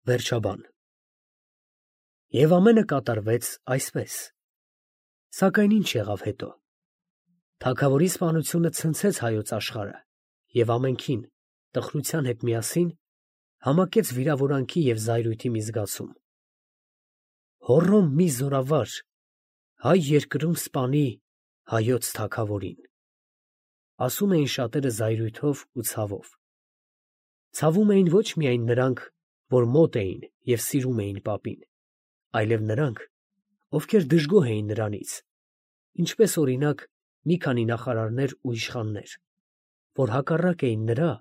Վերջաբան։ Եվ ամենը կատարվեց այսպես. սակայն ինչ եղավ հետո։ Թագավորի սպանությունը ցնցեց հայոց աշխարհը, և ամենքին, տխրության հետ միասին, համակեց վիրավորանքի և զայրույթի մի զգացում։ Հոռոմ մի զորավար հայ երկրում սպանի հայոց թագավորին, ասում էին շատերը զայրույթով ու ցավով։ Ցավում էին ոչ միայն նրանք, որ մոտ էին և սիրում էին պապին, այլև նրանք, ովքեր դժգոհ էին նրանից, ինչպես օրինակ մի քանի նախարարներ ու իշխաններ, որ հակառակ էին նրա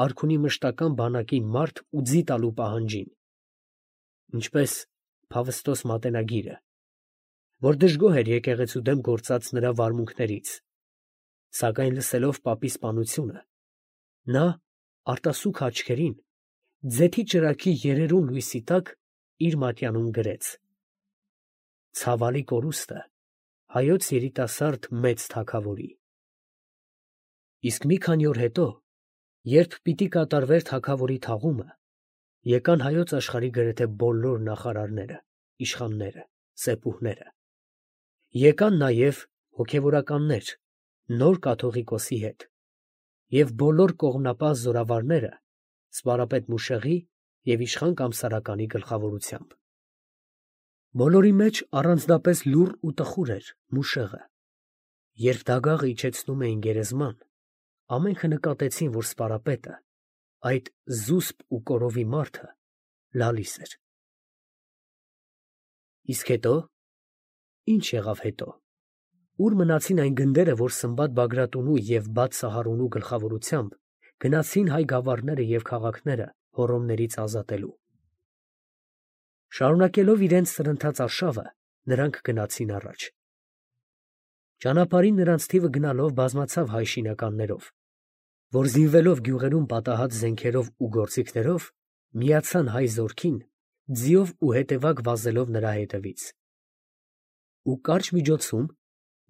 արքունի մշտական բանակին մարդ ու ձի տալու պահանջին, ինչպես Փավստոս մատենագիրը, որ դժգոհ էր եկեղեցու դեմ գործած նրա վարմունքներից, սակայն լսելով պապի սպանությունը, նա արտասուք աչքերին, ձեթի ճրագի երերուն լույսի տակ իր մատյանում գրեց. «Ցավալի կորուստը հայոց երիտասարդ մեծ թագավորի»։ Իսկ մի քանի օր հետո, երբ պիտի կատարվեր թագավորի թաղումը, եկան հայոց աշխարհի գրեթե բոլոր նախարարները, իշխանները, սեպուհները, եկան նաև հոգևորականներ նոր կաթողիկոսի հետ և բոլոր կողմնապահ զորավարները սպարապետ Մուշեղի և իշխան Կամսարականի գլխավորությամբ։ Բոլորի մեջ առանձնապես լուռ ու տխուր էր Մուշեղը։ Երբ դագաղը իջեցնում էին գերեզման, ամենքը նկատեցին, որ սպարապետը, այդ զուսպ ու կորովի մարդը, լալիս էր։ Իսկ հետո, ի՞նչ եղավ հետո։ Ո՞ւր մնացին այն գնդերը, որ Սմբատ Բագրատունու և Բաթ Սահարունու գլխավորությամբ գնացին հայ գավառները և քաղաքները հոռոմներից ազատելու։ Շարունակելով իրենց սրընթաց արշավը, նրանք գնացին առաջ։ Ճանապարհին նրանց թիվը գնալով բազմացավ հայ շինականներով, որ զինվելով գյուղերում պատահած զենքերով ու գործիքներով, միացան հայ զորքին, ձիով ու հետևակ վազելով նրա հետևից։ Ու կարճ միջոցում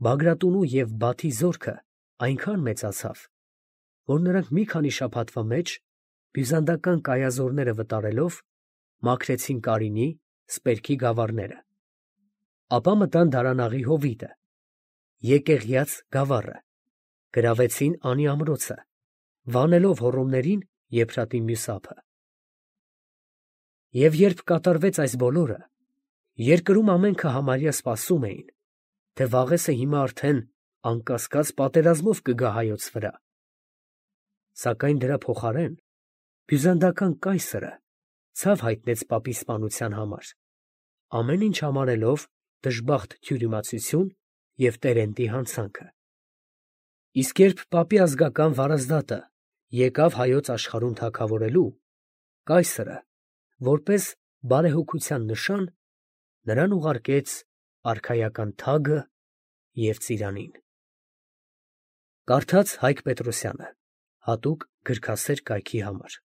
Բագրատունու և Բաթի զորքը այնքան մեծացավ, որ նրանք մի քանի շաբաթվա մեջ բյուզանդական կայազորները վտարելով մաքրեցին Կարինի, Սպերքի գավառները, ապա մտան Դարանաղի հովիտը, Եկեղյաց գավառը, գրավեցին Անի ամրոցը, վանելով հոռոմներին Եփրատի մյուս ափը։ Եվ երբ կատարվեց այս բոլորը, երկրում ամենքը համարյա սպասում էին, թե Վաղեսը հիմա արդեն անկասկած պատերազմով կգա հայոց վրա, սակայն դրա փոխարեն բյուզանդական կայսրը ցավ հայտնեց պապի սպանության համար, ամեն ինչ համարելով դժբախտ թյուրիմացություն և տերենտի հանցանքը։ Իսկ երբ պապի ազգական վարազդատը եկավ հայոց աշխարհում թագավորելու, կայսրը, որպես բարեհոգության նշան, նրան ուղարկեց արքայական թագը և ծիրանին։ Կարդաց Հայկ Պետրոսյանը, հատուկ գրքասեր կայքի համար։